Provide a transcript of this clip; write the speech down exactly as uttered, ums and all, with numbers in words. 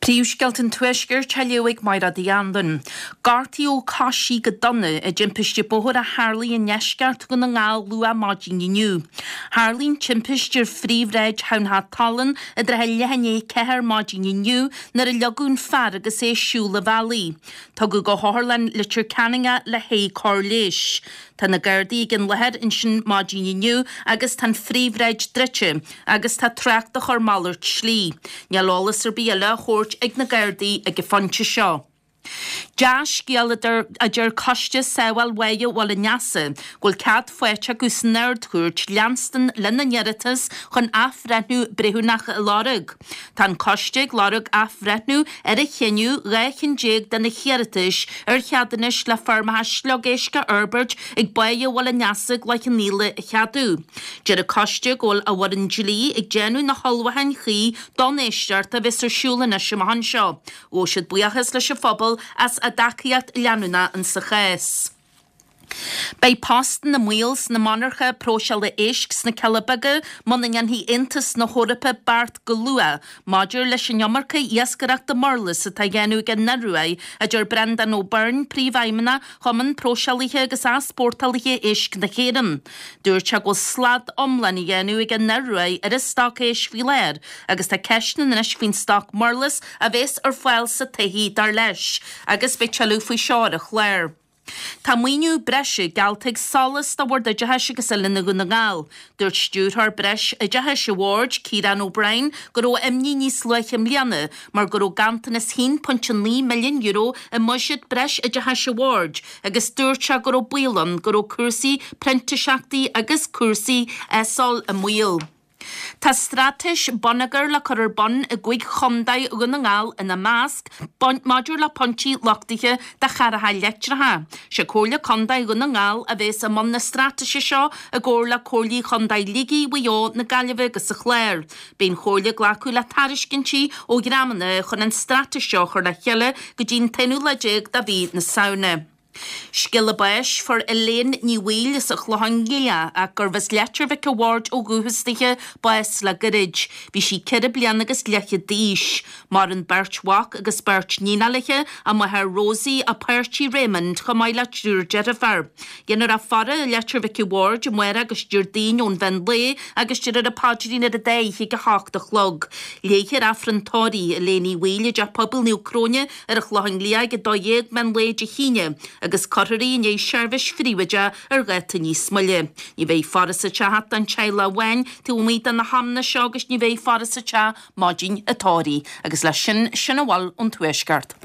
Príomhscéalta an Tuaiscirt á léamh ag Máire Uí Anluain. Gortaíodh coisí go dona i dtimpiste bóthair a tharlaigh i ndeisceart Dhún na nGall luath maidin inniu. Tharlaigh an timpiste ar phríomhshráid Thamhnach Tallann i dtrátha leath i ndiaidh a ceathair maidin inniu nuair a leagadh an fear agus é ag siúl an bhealaigh. Tugadh go hOtharlann Leitir Ceanainn é le haghaidh cóir leighis. Tá na Gardaí ag an láthair ansin maidin inniu agus tá an phríomhshráid druidte agus tá trácht á chur malairt slí. Níl eolas ar bith eile á thabhairt ag na Gardaí ag an phointe seo. Dea-scéal a deir Coiste Sábháil Bháighe Bhaile an Easa go bhfuil cead faighte acu san Ard-Chúirt leanstan lena n-iarratas chun athbhreithniú breithiúnach a lorg. Tá an coiste ag lorg athbhreithniú ar a chinneadh dhá cheann déag de na hiarratais ar cheadúnais le feirmeacha sliogéisc a fhorbairt ag Báighe Bhaile an Easa i gCloich Cheann Fhaola a cheadú. Deir an coiste go bhfuil a bhfoireann dlí ag déanamh na hullmhúcháin chuí don éisteacht a bheas ar siúl anois amach anseo. Ghabh siad buíochas leis an phobal as a dtacaíocht leanúnach insa chás. Beidh postanna i mbaol sna monarcha próiseála éisc sna Cealla Beaga muna ndéanfaidh Aontas na hEorpa beart go luath maidir leis an iomarca iascaireachta murlas atá á dhéanamh ag an Ioruaidh, a deir Breandán Ó Beirn, Príomhfheidhmeannach Chumann Próiseálaithe agus Easpórtálaithe Éisc na hÉireann. Dúirt sé go bhfuil slad iomlán á dhéanamh ag an Ioruaidh ar an stoc éisc faoi láthair agus tá ceisteanna anois faoin stoc murlas a bheas ar fáil sa todhchaí, dar leis, agus beidh tuilleadh faoi seo ar an chlár. Tá maoiniú breise geallta ag SOLAS do Bhord Oideachais agus Oiliúna Dhún na nGall. Dúirt Stiúrthóir Breis Oideachais an Bhoird, Ciarán O'Brien, go raibh imní níos luaithe i mbliana mar go raibh ganntanas haon pointe naoi milliún euro i mbuiséad breis oideachais an Bhoird agus dúirt sé go raibh baol ann go raibh cúrsaí printiseachtaí agus cúrsaí ESOL i mbaol. Tá straitéis bonneagair le cur ar bun i gcúig chontae, Dhún na nGall ina measc, maidir le pointí luchtaithe do charracha leictreacha. Sé Comhairle Contae Dhún na nGall a bheas i mbun na straitéise seo i gcomhar le Comhairlí Chontae Shligigh, Mhaigh Eo, na Gaillimhe agus an Chláir. Beidh an Chomhairle ag glacadh le tairiscintí ó dhreamanna chun an straitéis seo a chur le chéile go dtí an t-aonú lá déag de mhí na Samhna. Scéala báis, Fuair Elaine Ní Bhaoill as an Chlochán Liath, ach gurbh as Leitir Mhic a' Bhaird ó dhúchas dithe, bás le goirid. Bhí sí ceithre bliana agus leathchéad d'aois. Maireann beirt mhac agus beirt níonacha léi, a máthair Rosie, a páirtí Raymond, chomh maith le triúr deirfiúr. Déanfar a faire i Leitir Mhic a' Bhaird amárach agus Déardaoin ón mheán lae agus déarfar an paidrín ar an dá oíche ag a hocht a chlog. Léifear Aifreann tórraimh Elaine Uí Bhaoill i dTeach Pobail Naomh Cróine ar an Chlochán Liath ag a dó dhéag meán lae Dé hAoine agus cuirfear í i ndiaidh seirbhís phríobháideach ar dháta níos moille. Ní bheidh faire sa teach ach don teaghlach amháin taobh amuigh de na hamanna seo agus ní bheidh faire sa teach maidin an tórraimh. Agus leis sin, sin a bhfuil ón Tuaisceart.